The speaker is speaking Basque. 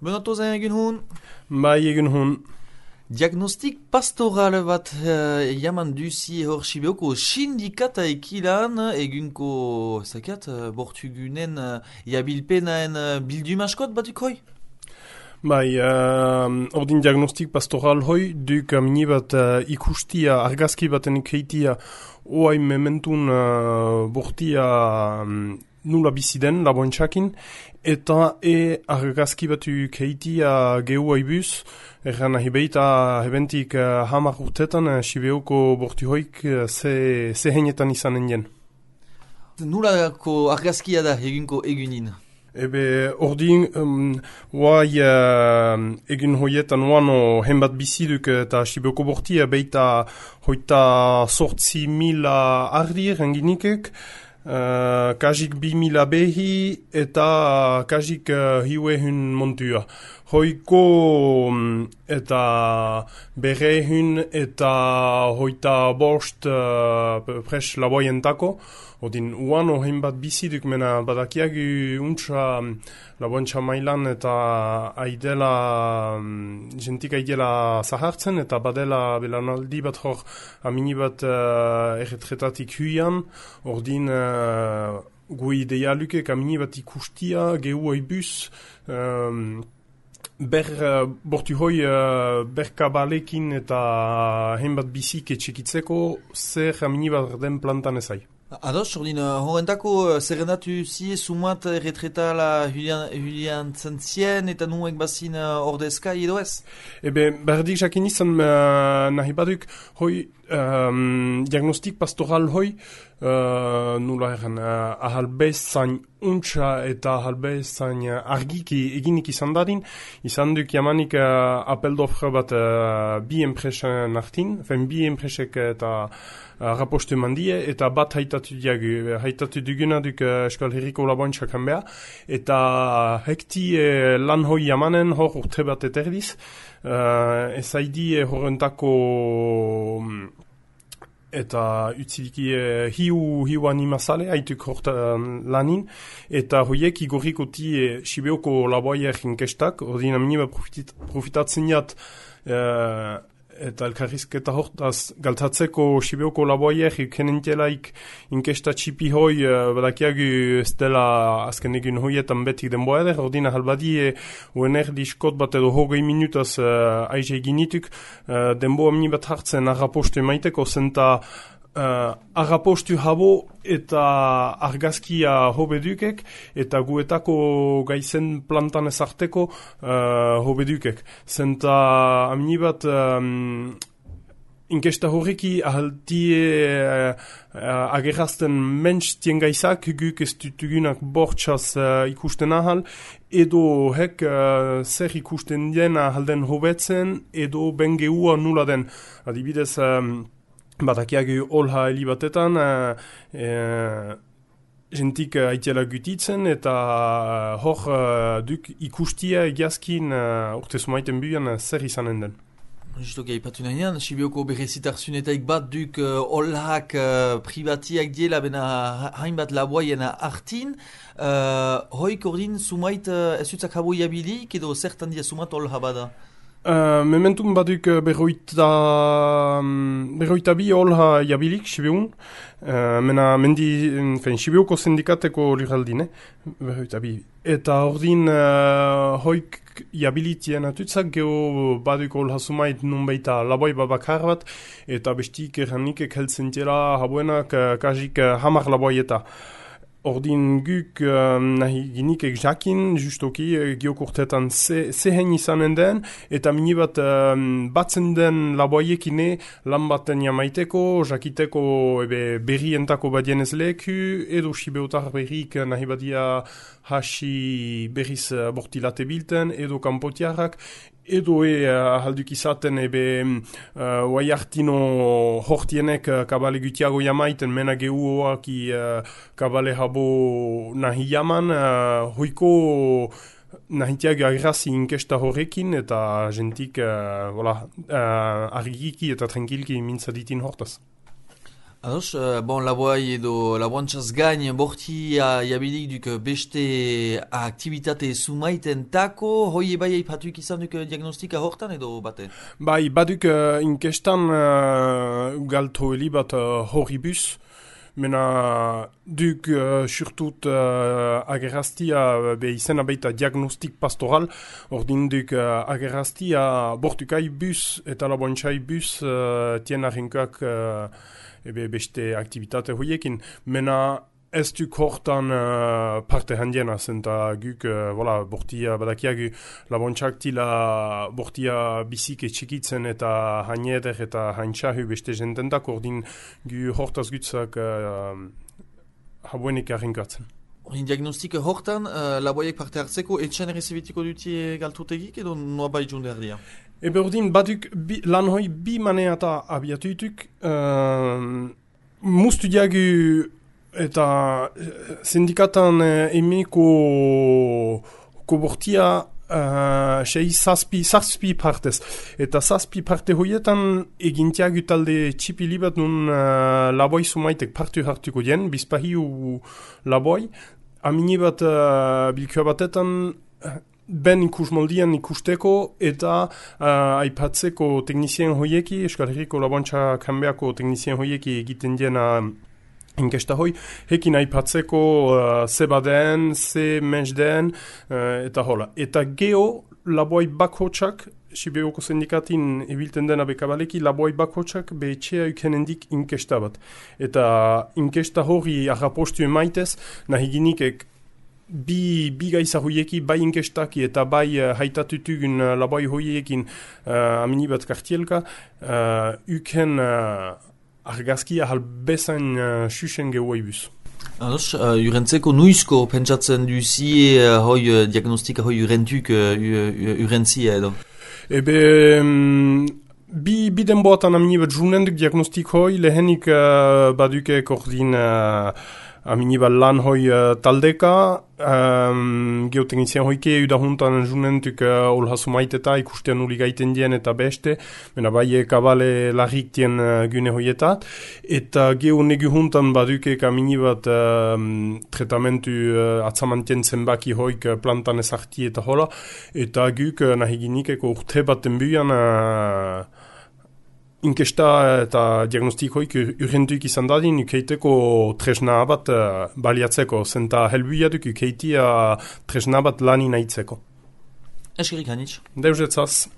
Benato zen egin hun. Bai egin hun. Diagnostik pastoral bat jaman duzi hor Sibioko sindikata ekilan egunko zakat bortugunen jabilpenaen bildumaskot batuk hoi? Bai, ordin diagnostik pastoral hoi, duk mini bat ikustia, argazki baten ikeitia, oai mementun bortia nula biziden, laboentxakin, eta argazki batu ikeitia gehu aibuz, erran ahibeita hebentik hamar urtetan Sibioko borti hoik ze henetan izanen jen. Nulako argazkia da egunko egunin? Ebe, ordin, oai egin hoietan oano henbat biziduk eta Sibioko bortia beita hoita sortzi mila ardi renginikek, kajik 2000 behi eta kajik hiuehun montua. Hoiko eta berehun eta hoita bost pres laboientako. Odin uano hainbat biziduk mena badakiagu untsa laboentxa mailan eta aidela jentik aidela zahartzen eta badela belanaldi bat hor amini bat erretretatik huian. Ordin gu idealukek amini bat ikustia gehu aibuz bortu hoi berkabalekin eta hainbat bizik etxekitzeko zer amini bat den plantan ezai. Ados, ordin, horrentako zerrendatu zie sumat retretala Julian Zentzien eta nuek bazin ordezka edo ez? Ebe, berdik jakin izan nahi baduk, hoi diagnostik pastoral hoi, nula erran, ahalbezain untsa eta ahalbezain argiki eginik izan dadin, izan duk jamanik apeldofra bat bi enpresen artin, bi enpresek eta rapostu mandie, eta bat haitatu duguna duk Euskal Herriko laboentxak hanbea, eta hekti lan hoi jamanen hor urte bat eterdiz, ez haidi horrentako eta utzidiki hiu animazale haituk lanin, eta hoiek igorrikoti Sibioko laboaier inkestak, ordin aminiba profitatzen jat eta elkarrizketa hortaz galtatzeko Sibioko laboaier ikenentelaik inkesta txipi hoi badakiagu ez dela azken egun hoietan betik denboa eder, ordina halbadi UNR diskot bat edo hogei minutaz aize eginituk denboa mini bat hartzen arrapostu emaiteko zenta arrapostu habo eta argazkia hobedukek eta guetako gaizen plantan ezarteko hobedukek. Zenta amini bat inkesta horreki ahaltie agerrazten mentz tien gaizak guk ez dutugunak bortxaz ikusten ahal edo hek zer ikusten den ahalden hobetzen edo bengeua nula den. Adibidez badakiagu olha helibatetan jentik aitela gutitzen eta hor duk ikustia egiazkin urte sumaiten buian zer izanen den. Justo gaipatu nahian, Sibioko berrezitarsunetaik bat duk olhak privatiak diela bena hainbat laboaien artin. Hoik ordin sumait ez utzak habo jabilik edo zertan dia sumat olha bada? Mementum baduk berroita bi olha jabilik Sibiun, mena mendi Sibioko sindikateko liraldine, berroita bi. Eta ordin hoik jabilitien atutzak geho baduk olha sumait nunbeita laboi babakar bat, eta bestik erranikek heltzen dira habuenak kajik hamar laboieta. Ordin guk nahi ginikek jakin, justoki geokurtetan zehen izanen den, eta mini bat batzen den laboiekine lan baten jamaiteko, jakiteko berrientako badien ez leku, edo Sibeotar berrik nahi badia hasi berriz bortilate bilten, edo kanpotiarrak, edo halduk izaten oai hartino hortienek kabale gutiago jamaiten mena gehuoak kabale habo nahi jaman hoiko nahitiak agrazi inkesta horrekin eta jentik argiki eta tranquilki mintzaditin hortaz. Ados, bon, laboai edo laboantzaz gain bortia jabilik duk beste aktivitate sumaiten tako, hoi ebai aipatuik izan duk diagnostika hortan edo bate? Bai, baduk inkestan galtoeli bat horribus, mena duk surtut agerraztia be izena baita diagnostik pastoral, ordin duk agerraztia bortukai bus eta laboantzai bus tien arrenkoak ebe beste aktivitate hoiekin, mena ez duk hortan parte handiena zenta guk, bortia badakiagu laboantzak tila bortia bizike txikitzen eta haineder eta haintxahu beste jentendak, ordin gu hortaz gutzak habuenik arrenkatzen. Horin diagnostika hortan, laboiek parte hartzeko etxan errezibitiko dutie galtutegik edo noa bai junde erdia? Ebe ordin baduk lan hoi bi maneata abiatuituk, mustu diagu eta sindikatan emeko bortia sei zazpi partez. Eta zazpi parte hoietan egintiagu talde txipi libat nun laboi sumaitek partu hartuko dien, bizpahiu laboi. Amini bat bilkua batetan ben ikusmoldian ikusteko eta aipatzeko teknizien hoieki, Euskal Herriko laboantza kanbeako teknizien hoieki egiten diena inkesta hoi, hekin aipatzeko ze baden, ze mens den, eta hola. Eta geho laboi bakotxak, Sibioko sindikatin ebilten dena bekabaleki, laboi bakotxak behetxea ukenendik inkesta bat. Eta inkesta hori arrapostu emaitez, nahi ginikek bi gaiza hoieki, bai inkestaki eta bai haitatutugun laboi hoiekin amini bat kartielka, uken argazkia halbezain susen gehuaibuz. Ados, urentzeko nuizko pentsatzen duzie hoi diagnostika hoi urentuk urentzia edo? Ebe, bi denboatan amini bat junenduk diagnostik hoi, lehenik baduke ordin amini bat lan hoi taldeka, geoteknizien hoike udahuntan junentuk olha sumaiteta ikustean uli gaiten dien eta beste, mena bai kabale larrik dien gune hoietat, eta geo negu huntan baduke amini bat tratamentu atzamantien zenbaki hoik plantan ezarti eta hola, eta guk nahi ginikeko urte bat denbuian inkesta eta diagnostikoik urrentuik izan dadin, ukeiteko tresna bat baliatzeko, zenta helbuiaduk ukeitia tresna bat lani nahitzeko. Eskerik hanitz. Deuzetzaz.